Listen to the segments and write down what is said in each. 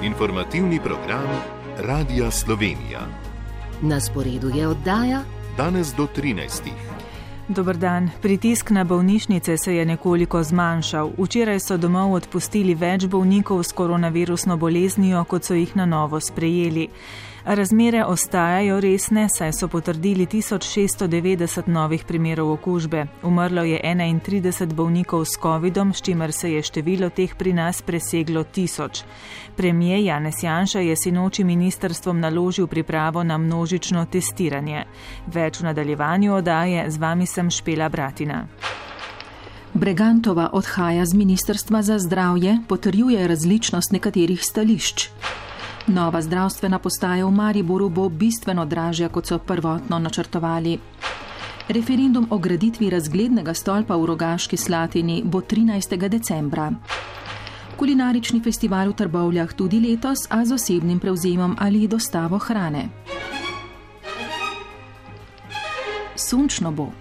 Informativni program Radia Slovenija. Na sporedu je oddaja Danes do 13. Dober dan. Pritisk na bolnišnice se je nekoliko zmanjšal. Včeraj so domov odpustili več bolnikov s koronavirusno boleznijo, kot so jih na novo sprejeli. Razmere ostajajo resne, saj so potrdili 1690 novih primerov okužbe. Umrlo je 31 bolnikov s covidom, s čimer se je število teh pri nas preseglo 1000. Premier Janez Janša je sinoči ministrstvom naložil pripravo na množično testiranje. Več v nadaljevanju oddaje, z vami sem Špela Bratina. Bregantova odhaja z ministrstva za zdravje, potrjuje različnost nekaterih stališč. Nova zdravstvena postaja v Mariboru bo bistveno dražja, kot so prvotno načrtovali. Referendum o graditvi razglednega stolpa v Rogaški Slatini bo 13. decembra. Kulinarični festival v Trbovljah tudi letos, a z osebnim prevzemom ali dostavo hrane. Sončno bo.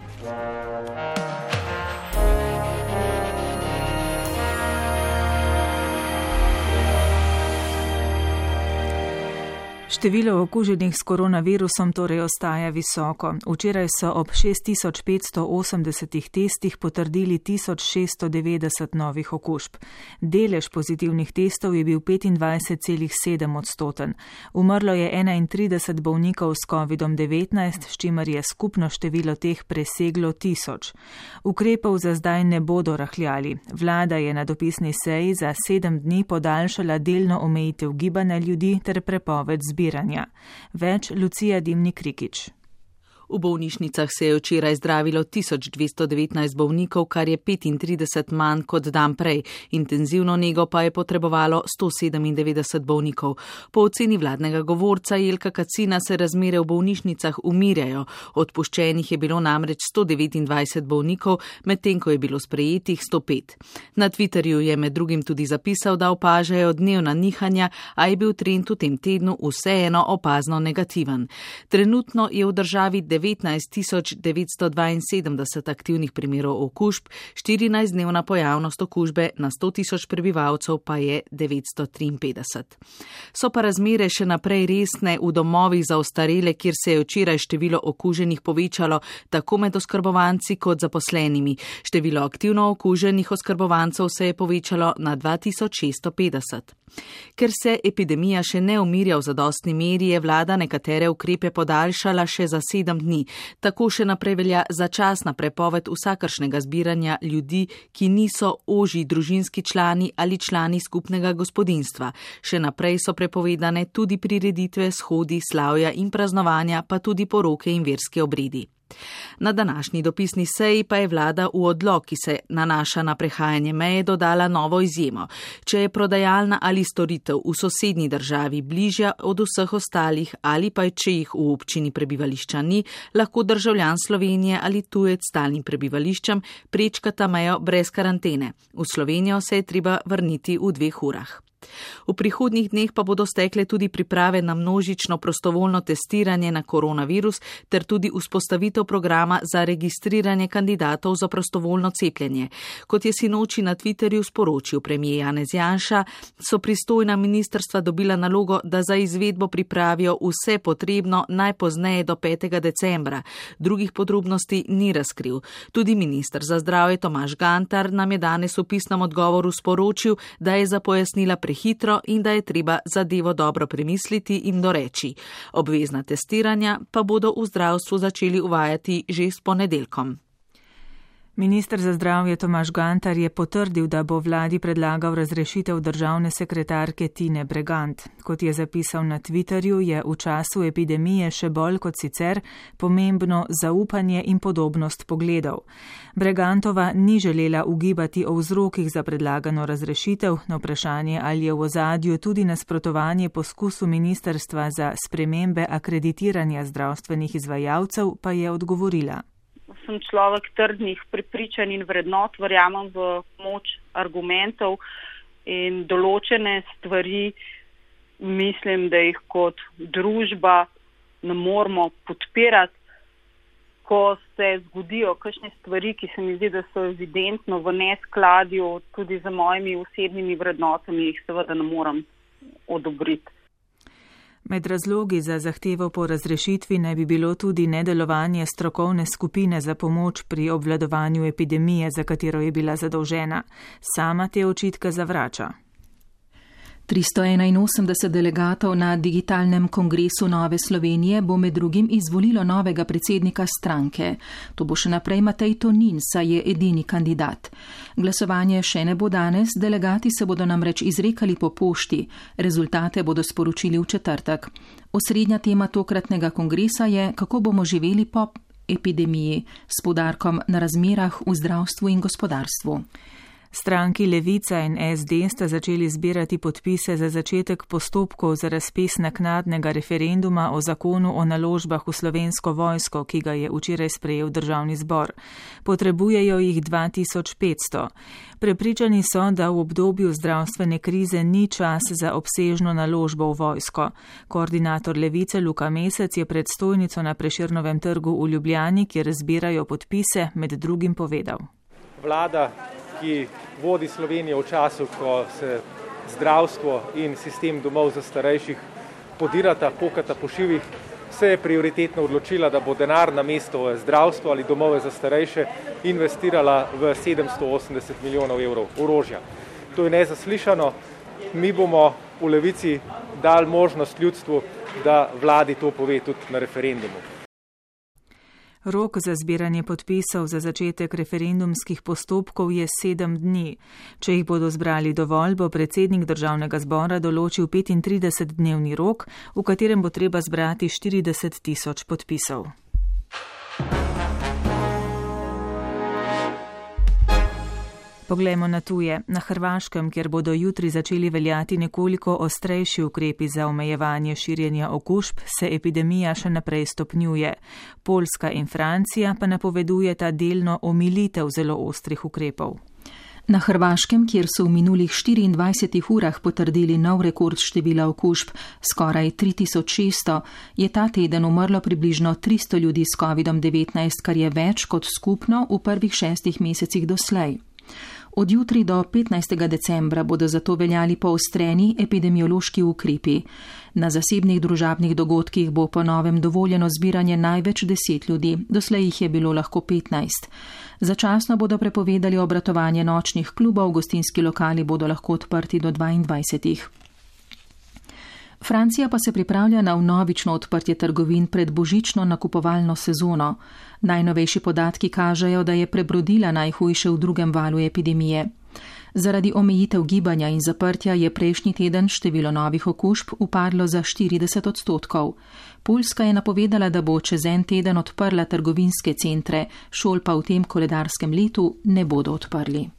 Število okuženih s koronavirusom torej ostaja visoko. Včeraj so ob 6580 testih potrdili 1690 novih okužb. Delež pozitivnih testov je bil 25,7%. Umrlo je 31 bolnikov s COVID-19, s čimer je skupno število teh preseglo 1000. Ukrepov za zdaj ne bodo rahljali. Vlada je na dopisni seji za 7 dni podaljšala delno omejitev gibanja ljudi ter prepoved zbiranja. Več Lucija Dimnik-Rikič. V bolnišnicah se je včeraj zdravilo 1219 bolnikov, kar je 35 manj kot dan prej. Intenzivno nego pa je potrebovalo 197 bolnikov. Po oceni vladnega govorca Jelka Kacina se razmere v bolnišnicah umirjajo. Odpuščenih je bilo namreč 129 bolnikov, medtem ko je bilo sprejetih 105. Na Twitterju je med drugim tudi zapisal, da opažajo dnevna nihanja, a je bil trend v tem tednu vseeno opazno negativen. Trenutno je v državi 19 972 aktivnih primerov okužb, 14-dnevna pojavnost okužbe na 100 000 prebivalcev pa je 953. So pa razmere še naprej resne v domovih za ostarele, kjer se je včeraj število okuženih povečalo tako med oskrbovanci kot zaposlenimi. Število aktivno okuženih oskrbovancev se je povečalo na 2650. Ker se epidemija še ne umirja v zadostni meri, je vlada nekatere ukrepe podaljšala še za 7 dni. Tako še naprej velja začasna prepoved vsakršnega zbiranja ljudi, ki niso ožji družinski člani ali člani skupnega gospodinjstva. Še naprej so prepovedane tudi prireditve, shodi, slavja in praznovanja, pa tudi poroke in verski obredi. Na današnji dopisni seji pa je vlada v odlok, ki se nanaša na prehajanje meje, dodala novo izjemo. Če je prodajalna ali storitev v sosednji državi bližja od vseh ostalih ali pa če jih v občini prebivališča ni, lahko državljan Slovenije ali tujec s stalnim prebivališčem prečkata mejo brez karantene. V Slovenijo se je treba vrniti v 2 urah. V prihodnjih dneh pa bodo stekle tudi priprave na množično prostovoljno testiranje na koronavirus ter tudi vzpostavitev programa za registriranje kandidatov za prostovoljno cepljenje. Kot je sinoči na Twitterju sporočil premier Janez Janša, so pristojna ministrstva dobila nalogo, da za izvedbo pripravijo vse potrebno najpozneje do 5. decembra. Drugih podrobnosti ni razkril. Tudi minister za zdravje Tomaž Gantar nam je danes v pisnem odgovoru sporočil, da je za pojasnila hitro in da je treba zadevo dobro premisliti in doreči. Obvezna testiranja pa bodo v zdravstvu začeli uvajati že s ponedeljkom. Minister za zdravje Tomaž Gantar je potrdil, da bo vladi predlagal razrešitev državne sekretarke Tine Bregant. Kot je zapisal na Twitterju, je v času epidemije še bolj kot sicer pomembno zaupanje in podobnost pogledov. Bregantova ni želela ugibati o vzrokih za predlagano razrešitev. Na vprašanje, ali je v ozadju tudi nasprotovanje poskusu ministrstva za spremembe akreditiranja zdravstvenih izvajalcev, pa je odgovorila. Sem človek trdnih prepričanj in vrednot, verjamem v moč argumentov in določene stvari, mislim, da jih kot družba ne moramo podpirati. Ko se zgodijo kakšne stvari, ki se mi zdi, da so evidentno v neskladju tudi za mojimi osebnimi vrednotami, jih seveda ne morem odobriti. Med razlogi za zahtevo po razrešitvi naj bi bilo tudi nedelovanje strokovne skupine za pomoč pri obvladovanju epidemije, za katero je bila zadolžena. Sama te očitke zavrača. 381 delegatov na digitalnem kongresu Nove Slovenije bo med drugim izvolilo novega predsednika stranke. To bo še naprej Matej Tonin, saj je edini kandidat. Glasovanje še ne bo danes, delegati se bodo namreč izrekali po pošti. Rezultate bodo sporočili v četrtek. Osrednja tema tokratnega kongresa je, kako bomo živeli po epidemiji, s poudarkom na razmerah v zdravstvu in gospodarstvu. Stranki Levica in SD sta začeli zbirati podpise za začetek postopkov za razpis naknadnega referenduma o zakonu o naložbah v Slovensko vojsko, ki ga je včeraj sprejel Državni zbor. Potrebujejo jih 2500. Prepričani so, da v obdobju zdravstvene krize ni čas za obsežno naložbo v vojsko. Koordinator Levice Luka Mesec je pred stojnico na Prešernovem trgu v Ljubljani, kjer zbirajo podpise, med drugim povedal. Vlada, ki vodi Slovenijo v času, ko se zdravstvo in sistem domov za starejših podirata, pokata po šivih, se je prioritetno odločila, da bo denar namesto v zdravstvo ali domove za starejše investirala v 780 milijonov evrov orožja. To je nezaslišano. Mi bomo v Levici dali možnost ljudstvu, da vladi to pove tudi na referendumu. Rok za zbiranje podpisov za začetek referendumskih postopkov je 7 dni. Če jih bodo zbrali dovolj, bo predsednik Državnega zbora določil 35-dnevni rok, v katerem bo treba zbrati 40 000 podpisov. Poglejmo na tuje. Na Hrvaškem, kjer bodo jutri začeli veljati nekoliko ostrejši ukrepi za omejevanje širjenja okužb, se epidemija še naprej stopnjuje. Poljska in Francija pa napovedujeta delno omilitev zelo ostrih ukrepov. Na Hrvaškem, kjer so v minulih 24 urah potrdili nov rekord števila okužb, skoraj 3600, je ta teden umrlo približno 300 ljudi s COVID-19, kar je več kot skupno v prvih 6 mesecih doslej. Od jutri do 15. decembra bodo zato veljali poostreni epidemiološki ukrepi. Na zasebnih družabnih dogodkih bo po novem dovoljeno zbiranje največ 10 ljudi, doslej jih je bilo lahko 15. Začasno bodo prepovedali obratovanje nočnih klubov, gostinski lokali bodo lahko odprti do 22. Francija pa se pripravlja na vnovično odprtje trgovin pred božično nakupovalno sezono. Najnovejši podatki kažejo, da je prebrodila najhujše v drugem valu epidemije. Zaradi omejitev gibanja in zaprtja je prejšnji teden število novih okužb upadlo za 40%. Poljska je napovedala, da bo čez en teden odprla trgovinske centre, šol pa v tem koledarskem letu ne bodo odprli.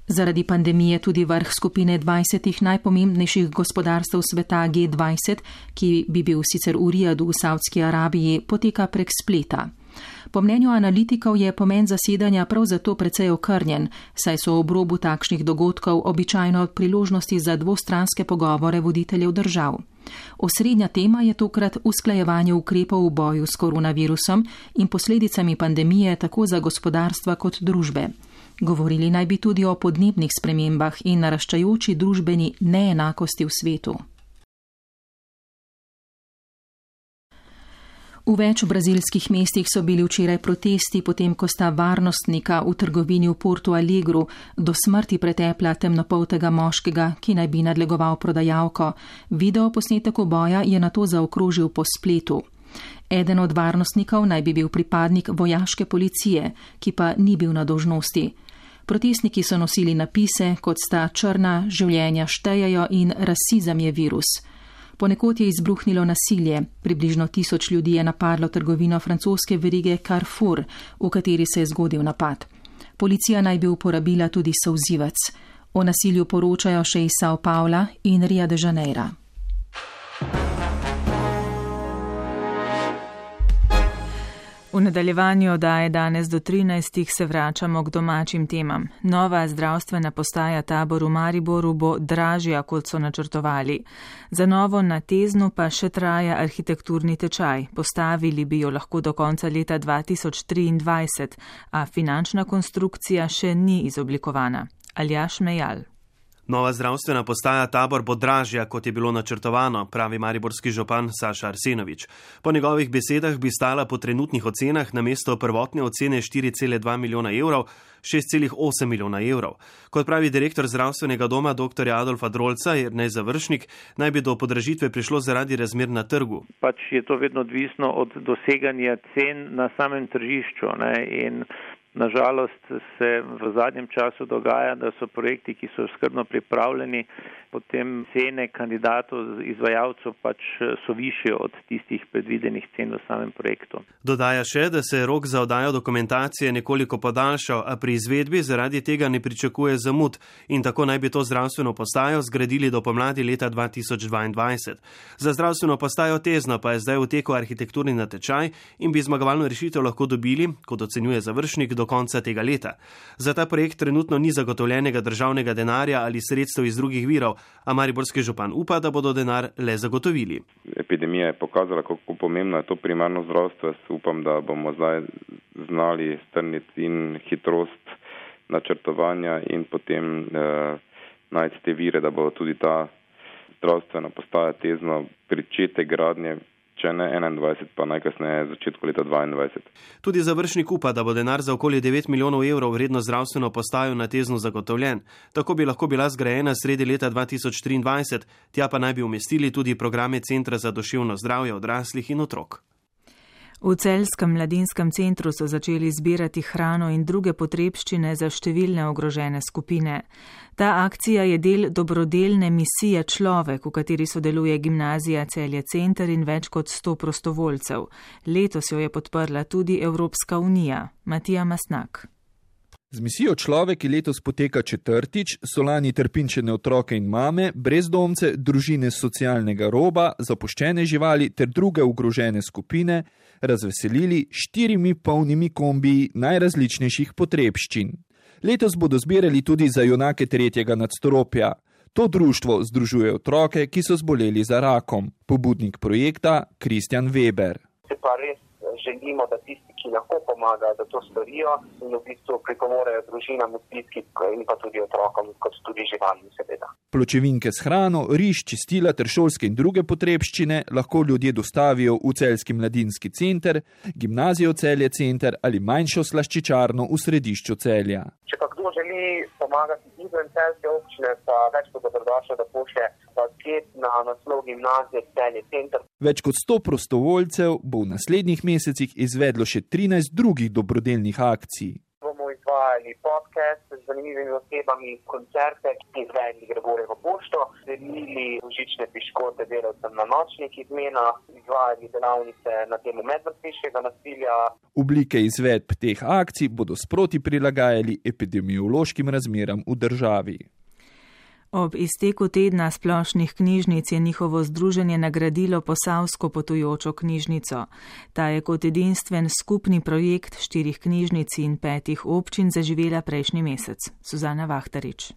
Zaradi pandemije tudi vrh skupine 20 najpomembnejših gospodarstev sveta G20, ki bi bil sicer v Rijadu v Saudski Arabiji, poteka prek spleta. Po mnenju analitikov je pomen zasedanja prav zato precej okrnjen, saj so ob robu takšnih dogodkov običajno priložnosti za dvostranske pogovore voditeljev držav. Osrednja tema je tokrat usklajevanje ukrepov v boju s koronavirusom in posledicami pandemije tako za gospodarstva kot družbe. Govorili naj bi tudi o podnebnih spremembah in naraščajoči družbeni neenakosti v svetu. V več brazilskih mestih so bili včeraj protesti, potem ko sta varnostnika v trgovini v Porto Alegru do smrti pretepla temnopoltega moškega, ki naj bi nadlegoval prodajalko. Video posnetek boja je nato zaokrožil po spletu. Eden od varnostnikov naj bi bil pripadnik vojaške policije, ki pa ni bil na dolžnosti. Protestniki so nosili napise, kot sta črna življenja štejejo in rasizem je virus. Ponekod je izbruhnilo nasilje. Približno 1000 ljudi je napadlo trgovino francoske verige Carrefour, v kateri se je zgodil napad. Policija naj bi uporabila tudi solzivec. O nasilju poročajo še iz São Paula in Rio de Janeira. V nadaljevanju oddaje danes do 13. se vračamo k domačim temam. Nova zdravstvena postaja Tabor v Mariboru bo dražja, kot so načrtovali. Za novo na Teznu pa še traja arhitekturni tečaj. Postavili bi jo lahko do konca leta 2023, a finančna konstrukcija še ni izoblikovana. Aljaž Mejal. Nova zdravstvena postaja Tabor bo dražja, kot je bilo načrtovano, pravi mariborski župan Saša Arsenovič. Po njegovih besedah bi stala po trenutnih ocenah namesto prvotne ocene 4,2 milijona evrov 6,8 milijona evrov. Kot pravi direktor zdravstvenega doma dr. Adolfa Drolca Jernej Završnik, naj bi do podražitve prišlo zaradi razmer na trgu. Pač je to vedno odvisno od doseganja cen na samem tržišču, in nažalost se v zadnjem času dogaja, da so projekti, ki so skrbno pripravljeni, potem cene kandidatov, izvajalcev pač so višje od tistih predvidenih cen v samem projektu. Dodaja še, da se je rok za oddajo dokumentacije nekoliko podaljšal, a pri izvedbi zaradi tega ne pričakuje zamud in tako naj bi to zdravstveno postajo zgradili do pomladi leta 2022. Za zdravstveno postajo Tezno pa je zdaj v teku arhitekturni natečaj in bi zmagovalno rešitev lahko dobili, kot ocenjuje Završnik, do konca tega leta. Za ta projekt trenutno ni zagotovljenega državnega denarja ali sredstev iz drugih virov, a mariborski župan upa, da bodo denar le zagotovili. Epidemija je pokazala, kako pomembno je to primarno zdravstvo. Jaz upam, da bomo zdaj znali strniti in hitrost načrtovanja in potem najti te vire, da bo tudi ta zdravstvena postaja Tezno pričetek gradnje, če ne 21, pa najkasneje začetku leta 22. Tudi Završnik upa, da bo denar za okoli 9 milijonov evrov vredno zdravstveno postajo na Tezno zagotovljen. Tako bi lahko bila zgrajena sredi leta 2023, tja pa naj bi umestili tudi programe Centra za duševno zdravje odraslih in otrok. V Celjskem mladinskem centru so začeli zbirati hrano in druge potrebščine za številne ogrožene skupine. Ta akcija je del dobrodelne misije Človek, v kateri sodeluje gimnazija Celje Center in več kot 100 prostovoljcev. Letos jo je podprla tudi Evropska unija. Matija Masnak. Z misijo Človek, ki letos poteka četrtič, so lani trpinčene otroke in mame, brezdomce, družine socialnega roba, zapuščene živali ter druge ogrožene skupine razveselili 4 polnimi kombiji najrazličnejših potrebščin. Letos bodo zbirali tudi za junake 3. nadstropja. To društvo združuje otroke, ki so zboleli za rakom. Pobudnik projekta Kristjan Weber. Se pa res želimo, da tisti, ki lahko pomagajo, da to storijo in v bistvu pripomorejo družinam v stiski in pa tudi otrokom, kot tudi živalim seveda. Pločevinke s hrano, riž, čistila ter šolske in druge potrebščine lahko ljudje dostavijo v Celjski mladinski center, gimnazijo Celje Center ali manjšo slaščičarno v središču Celja. Če pa kdo želi pomagati izven celjske občine, pa več kot dobrodošlo, da pošlje paket na naslov gimnazije Celje Center. Več kot 100 prostovoljcev bo v naslednjih mesecih izvedlo še 13 drugih dobrodelnih akcij. Bomo izvajali podcast z zanimivimi osebami, koncerte, izvedli Gregorjevo pošto, delili božične piškote delavcem na nočnih izmenah, izvajali delavnice na temo medvrstniškega nasilja. Oblike izvedb teh akcij bodo sproti prilagajali epidemiološkim razmeram v državi. Ob izteku tedna splošnih knjižnic je njihovo združenje nagradilo Posavsko potujočo knjižnico. Ta je kot edinstven skupni projekt 4 knjižnic in 5 občin zaživela prejšnji mesec. Suzana Vahtarič.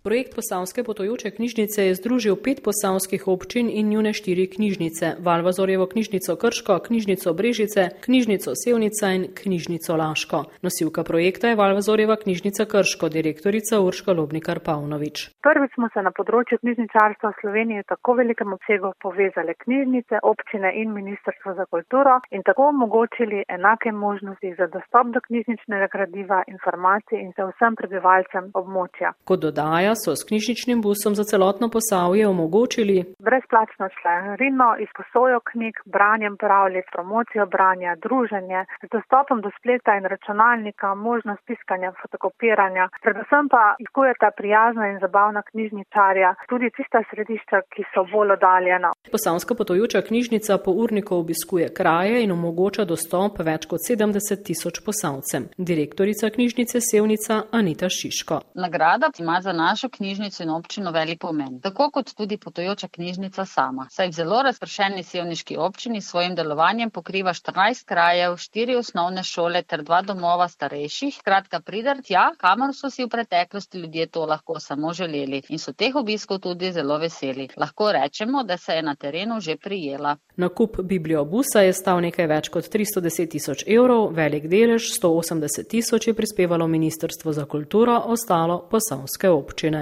Projekt Posavske potujoče knjižnice je združil 5 posavskih občin in njune 4 knjižnice, Valvazorjevo knjižnico Krško, knjižnico Brežice, knjižnico Sevnica in knjižnico Laško. Nosilka projekta je Valvazorjeva knjižnica Krško, direktorica Urška Lobnikar-Pavnovič. Prvič smo se na področju knjižničarstva v Sloveniji v tako velikem obsegu povezali knjižnice, občine in Ministrstvo za kulturo in tako omogočili enake možnosti za dostop do knjižničnega gradiva, informacij in za vsem prebivalcem območja. Kot dodaja, so s knjižničnim busom za celotno Posavje omogočili brezplačno članarino, izposojo knjig, branjem pravljic, promocijo branja, druženje, z dostopom do spleta in računalnika, možnost tiskanja, fotokopiranja, predvsem pa izkujeta prijazna in zabavna knjižničarja, tudi tista središča, ki so bolj oddaljena. Posavska potujoča knjižnica po urniku obiskuje kraje in omogoča dostop več kot 70,000 Posavcem. Direktorica knjižnice Sevnica Anita Šiško. Nagrada ima za našo knjižnico in občino velik pomen, tako kot tudi potujoča knjižnica sama. Saj v zelo razpršeni sevniški občini s svojim delovanjem pokriva 14 krajev, 4 osnovne šole ter 2 domova starejših. Skratka, pridar tja, kamor so si v preteklosti ljudje to lahko samo želeli in so teh obiskov tudi zelo veseli. Lahko rečemo, da se je na terenu že prijela. Nakup bibliobusa je stal nekaj več kot 310,000 evrov, velik delež 180,000 je prispevalo Ministrstvo za kulturo, ostalo posavske občine.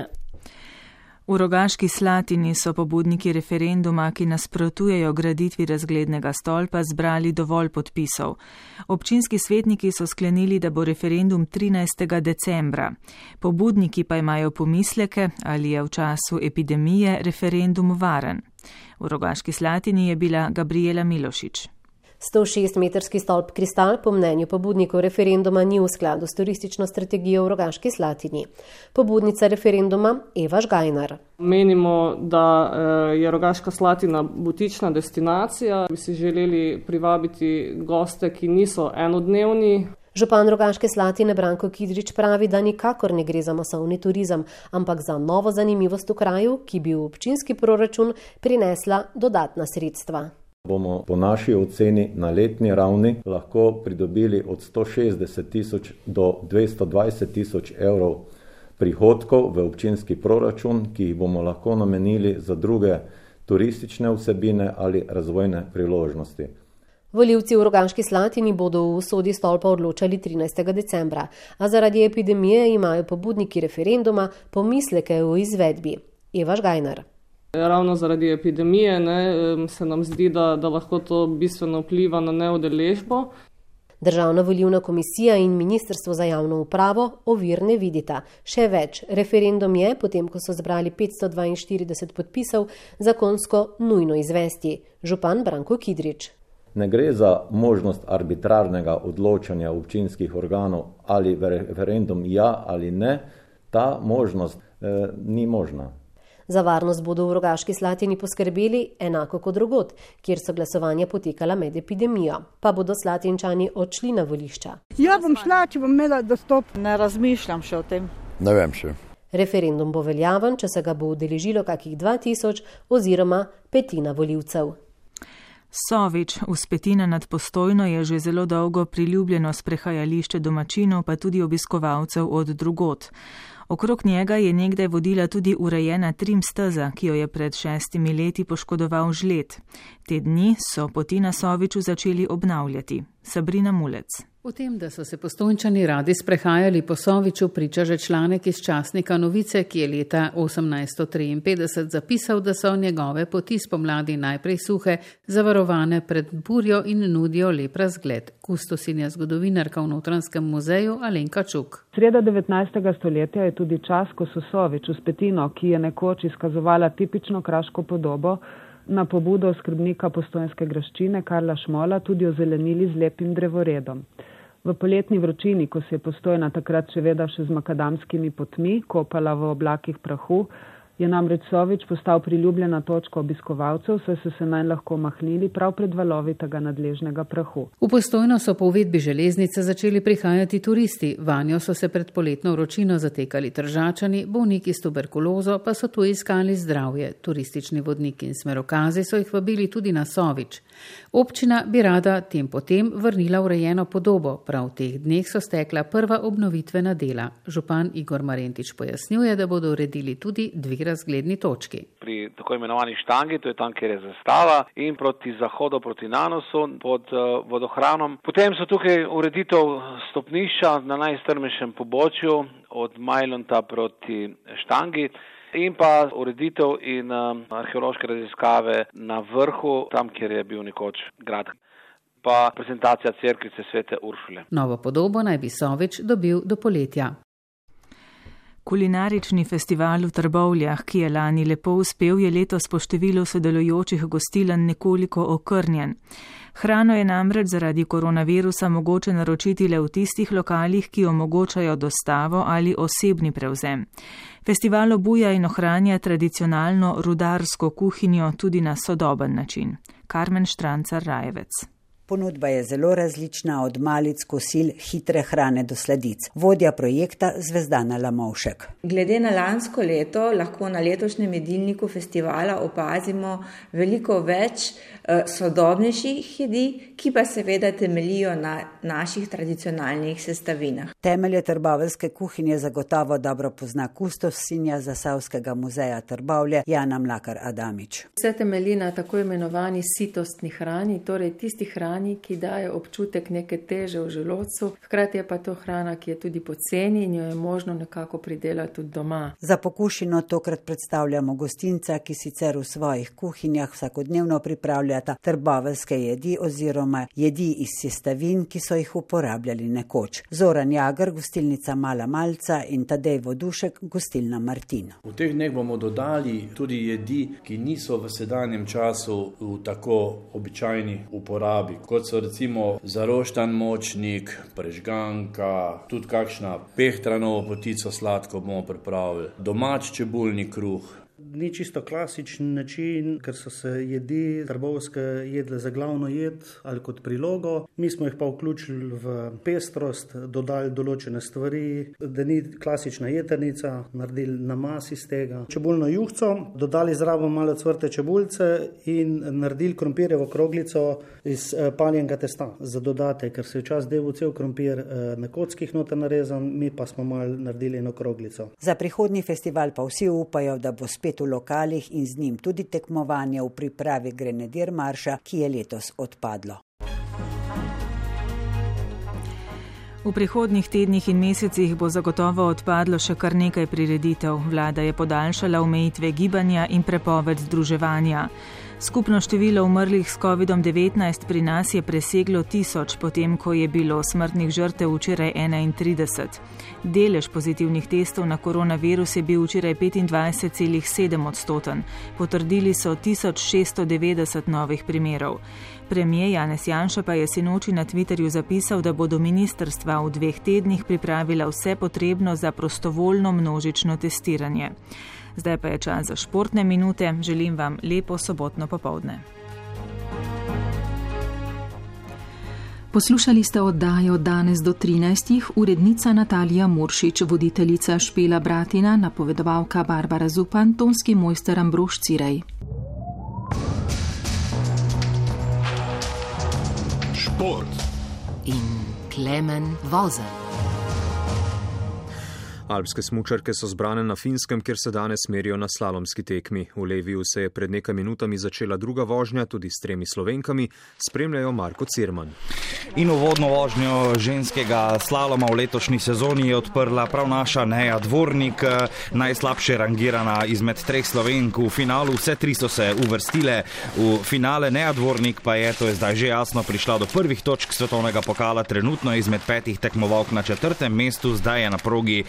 V Rogaški Slatini so pobudniki referenduma, ki nasprotujejo graditvi razglednega stolpa, zbrali dovolj podpisov. Občinski svetniki so sklenili, da bo referendum 13. decembra. Pobudniki pa imajo pomisleke, ali je v času epidemije referendum varen. V Rogaški Slatini je bila Gabriela Milošič. 106-metrski stolp Kristal po mnenju pobudnikov referenduma ni v skladu s turistično strategijo v Rogaški Slatini. Pobudnica referenduma Eva Žgajnar. Menimo, da je Rogaška Slatina butična destinacija. Bi si želeli privabiti goste, ki niso enodnevni. Župan Rogaške Slatine Branko Kidrič pravi, da nikakor ne gre za masovni turizem, ampak za novo zanimivost v kraju, ki bi v občinski proračun prinesla dodatna sredstva. Bomo po naši oceni na letni ravni lahko pridobili od 160 tisoč do 220 tisoč evrov prihodkov v občinski proračun, ki jih bomo lahko namenili za druge turistične vsebine ali razvojne priložnosti. Volivci v Rogaški Slatini bodo v usodi stolpa odločali 13. decembra, a zaradi epidemije imajo pobudniki referenduma pomisleke o izvedbi. Eva Žgajnar. Ravno zaradi epidemije se nam zdi, da lahko to bistveno vpliva na neudeležbo. Državna volilna komisija in Ministrstvo za javno upravo ovir ne vidita. Še več, referendum je, potem ko so zbrali 542 podpisov, zakonsko nujno izvesti. Župan Branko Kidrič. Ne gre za možnost arbitrarnega odločanja občinskih organov, ali referendum ja ali ne. Ta možnost ni možna. Za varnost bodo v Rogaški Slatini poskrbeli enako kot drugod, kjer so glasovanja potekala med epidemijo. Pa bodo Slatinčani odšli na volišča. Ja bom šla, če bom imela dostop. Ne razmišljam še o tem. Ne vem še. Referendum bo veljaven, če se ga bo udeležilo kakih 2000 oziroma petina volivcev. Sovič v Spetina nad Postojno je že zelo dolgo priljubljeno sprehajališče domačinov, pa tudi obiskovalcev od drugod. Okrog njega je nekdaj vodila tudi urejena trim steza, ki jo je pred 6 leti poškodoval žled. Te dni so poti na Soviču začeli obnavljati. Sabrina Mulec. V tem, da so se Postojnčani radi sprehajali po Soviču, priča že članek iz časnika Novice, ki je leta 1853 zapisal, da so njegove poti spomladi najprej suhe, zavarovane pred burjo in nudijo lep razgled. Kustosinja zgodovinarka v Notranjskem muzeju Alenka Čuk. Sreda 19. stoletja je tudi čas, ko so Sovič v Spetino, ki je nekoč izkazovala tipično kraško podobo, na pobudo skrbnika postojnske graščine Karla Šmola tudi ozelenili z lepim drevoredom. V poletni vročini, ko se je Postojna takrat seveda še z makadamskimi potmi kopala v oblakih prahu, je namreč Sovič postal priljubljena točka obiskovalcev, saj so se nanj lahko mahnili prav pred valovi tega nadležnega prahu. V Postojno so po uvedbi železnice začeli prihajati turisti, vanjo so se pred poletno vročino zatekali Tržačani, bolniki s tuberkulozo pa so tu iskali zdravje. Turistični vodniki in smerokazi so jih vabili tudi na Sovič. Občina bi rada tem potem vrnila urejeno podobo, prav v teh dneh so stekla prva obnovitvena dela. Župan Igor Marentič pojasnjuje, da bodo uredili tudi dve razgledni točki. Pri tako imenovani štangi, to je tam, kjer je zastava, in proti zahodu, proti Nanosu, pod vodohranom. Potem so tukaj ureditev stopnišča na najstrmejšem pobočju od Majlonta proti štangi in pa ureditev in arheološke raziskave na vrhu, tam, kjer je bil nekoč grad. Pa prezentacija cerkvice Svete Uršule. Novo podobo naj bi Sovič dobil do poletja. Kulinarični festival v Trbovljah, ki je lani lepo uspel, je letos po številu sodelujočih gostilen nekoliko okrnjen. Hrano je namreč zaradi koronavirusa mogoče naročiti le v tistih lokalih, ki omogočajo dostavo ali osebni prevzem. Festival obuja in ohranja tradicionalno rudarsko kuhinjo tudi na sodoben način. Karmen Štrancar-Rajevec. Ponudba je zelo različna, od malic, kosil, hitre hrane do sladic. Vodja projekta Zvezdana Lamovšek. Glede na lansko leto lahko na letošnjem jedilniku festivala opazimo veliko več sodobnejših jedi, ki pa seveda temeljijo na naših tradicionalnih sestavinah. Temelje trboveljske kuhinje zagotovo dobro pozna kustosinja Zasavskega muzeja Trbovlje Jana Mlakar Adamič. Vse temelji na tako imenovani sitostni hrani, torej tisti hrani, hrani, ki daje občutek neke teže v želodcu. Hkrati je pa to hrana, ki je tudi poceni in jo je možno nekako pridelati tudi doma. Za pokušino tokrat predstavljamo gostinca, ki sicer v svojih kuhinjah vsakodnevno pripravljata trboveljske jedi oziroma jedi iz sestavin, ki so jih uporabljali nekoč. Zoran Jagr, gostilnica Mala Malca, in Tadej Vodušek, gostilna Martin. V teh dneh bomo dodali tudi jedi, ki niso v sedanjem času v tako običajni uporabi, kot so recimo zaroštan močnik, prežganka, tudi kakšna pehtranovo potico sladko bomo pripravili, domač čebulni kruh. Ni čisto klasičen način, ker so se jedi trbovske jedle za glavno jed ali kot prilogo. Mi smo jih pa vključili v pestrost, dodali določene stvari, da ni klasična jeternica, naredili namaz iz tega. Čebulno juhco, dodali zraven malo cvrte čebulce in naredili krompirjevo kroglico iz paljenega testa za dodatek, ker se je včasih delal cel krompir na kockih noter narezan, mi pa smo malo naredili eno kroglico. Za prihodnji festival pa vsi upajo, da bo spet v lokalih in z njim tudi tekmovanje v pripravi Grenadir marša, ki je letos odpadlo. V prihodnjih tednih in mesecih bo zagotovo odpadlo še kar nekaj prireditev. Vlada je podaljšala omejitve gibanja in prepoved združevanja. Skupno število umrlih s COVID-19 pri nas je preseglo 1000, potem ko je bilo smrtnih žrtev včeraj 31. Delež pozitivnih testov na koronavirus je bil včeraj 25,7%. Potrdili so 1690 novih primerov. Premijer Janez Janša pa je sinoči na Twitterju zapisal, da bodo ministrstva v 2 tednih pripravila vse potrebno za prostovoljno množično testiranje. Zdaj pa je čas za športne minute. Želim vam lepo sobotno popoldne. Poslušali ste oddajo Danes do 13, urednica Natalija Muršič, voditeljica Špela Bratina, napovedovalka Barbara Zupan, tonski mojster Ambrož Cirej. Šport in Klemen Vozelj. Alpske smučarke so zbrane na Finskem, kjer se danes merijo na slalomski tekmi. V Leviju se je pred nekaj minutami začela druga vožnja, tudi s 3 Slovenkami, spremljajo Marko Cirman. In uvodno vožnjo ženskega slaloma v letošnji sezoni je odprla prav naša Neja Dvornik, najslabše rangirana izmed 3 Slovenk v finalu. Vse 3 so se uvrstile v finale. Neja Dvornik pa je, to je zdaj že jasno, prišla do prvih točk svetovnega pokala, trenutno izmed 5 tekmovalk na 4. mestu, zdaj je na progi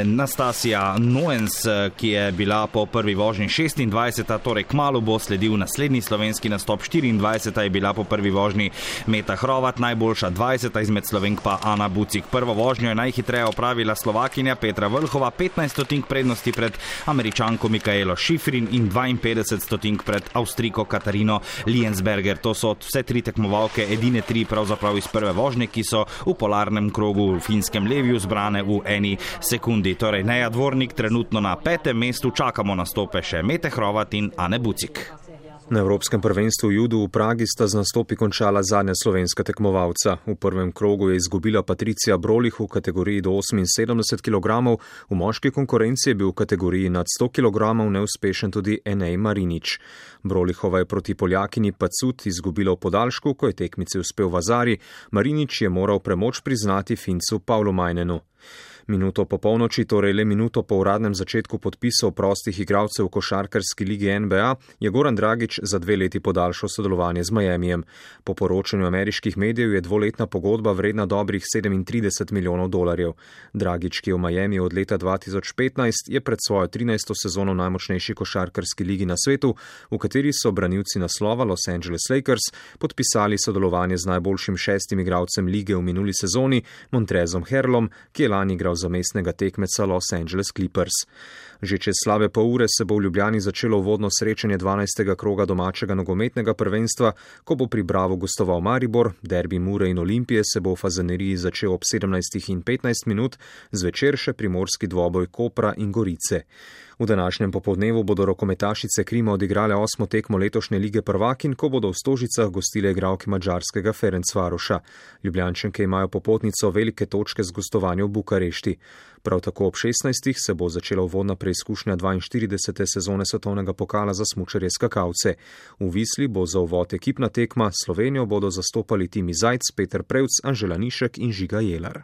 Nastasija Noens, ki je bila po prvi vožnji 26, torej kmalu bo sledil naslednji slovenski nastop. 24 je bila po prvi vožnji Meta Hrovat, najboljša 20 izmed Slovenk pa Ana Bucik. Prvo vožnjo je najhitreje opravila Slovakinja Petra Vlhova, 15 stotink prednosti pred Američanko Mikaelo Šifrin in 52 stotink pred Avstrijko Katarino Liensberger. To so vse 3 tekmovalke, edine 3 pravzaprav iz prve vožnje, ki so v polarnem krogu v finskem Leviju zbrane v eni sekundi. Torej Neja Dvornik trenutno na 5. mestu, čakamo nastope še Mete Hrovat in Ane Bucik. Na Evropskem prvenstvu v judu v Pragi sta z nastopi končala zadnja slovenska tekmovalca. V prvem krogu je izgubila Patricija Brolih v kategoriji do 78 kg, v moški konkurenci je bil v kategoriji nad 100 kg neuspešen tudi Enej Marinič. Brolihova je proti Poljakini Pacut izgubila v podaljšku, ko je tekmici uspel Vazari, Marinič je moral premoč priznati Fincu Pavlu Majnenu. Minuto po polnoči, torej le minuto po uradnem začetku podpisov prostih igralcev v košarkarski ligi NBA, je Goran Dragić za 2 leti podaljšal sodelovanje z Miamijem. Po poročanju ameriških medijev je 2-letna pogodba vredna dobrih $37 milijonov. Dragić, ki je v Miami od leta 2015, je pred svojo 13. sezono najmočnejši košarkarski ligi na svetu, v kateri so branilci naslova Los Angeles Lakers podpisali sodelovanje z najboljšim 6. igralcem lige v minuli sezoni, Montrezom Harrellom, ki je lani igral za mestnega tekmeca Los Angeles Clippers. Že čez slabe pol ure se bo v Ljubljani začelo uvodno srečanje 12. kroga domačega nogometnega prvenstva, ko bo pri Bravu gostoval Maribor, derbi Mure in Olimpije se bo v Fazaneriji začel ob 17:15, zvečer še primorski dvoboj Kopra in Gorice. V današnjem popoldnevu bodo rokometašice Krima odigrale 8. tekmo letošnje lige prvakinj, ko bodo v Stožicah gostile igralke madžarskega Ferencvaroša. Ljubljančanke imajo popotnico velike točke z gostovanjem v Bukarešti. Prav tako ob 16. se bo začela uvodna preizkušnja 42. sezone svetovnega pokala za smučarje skakalce. V Visli bo za uvod ekipna tekma, Slovenijo bodo zastopali Timi Zajc, Peter Prevc, Anžela Nišek in Žiga Jelar.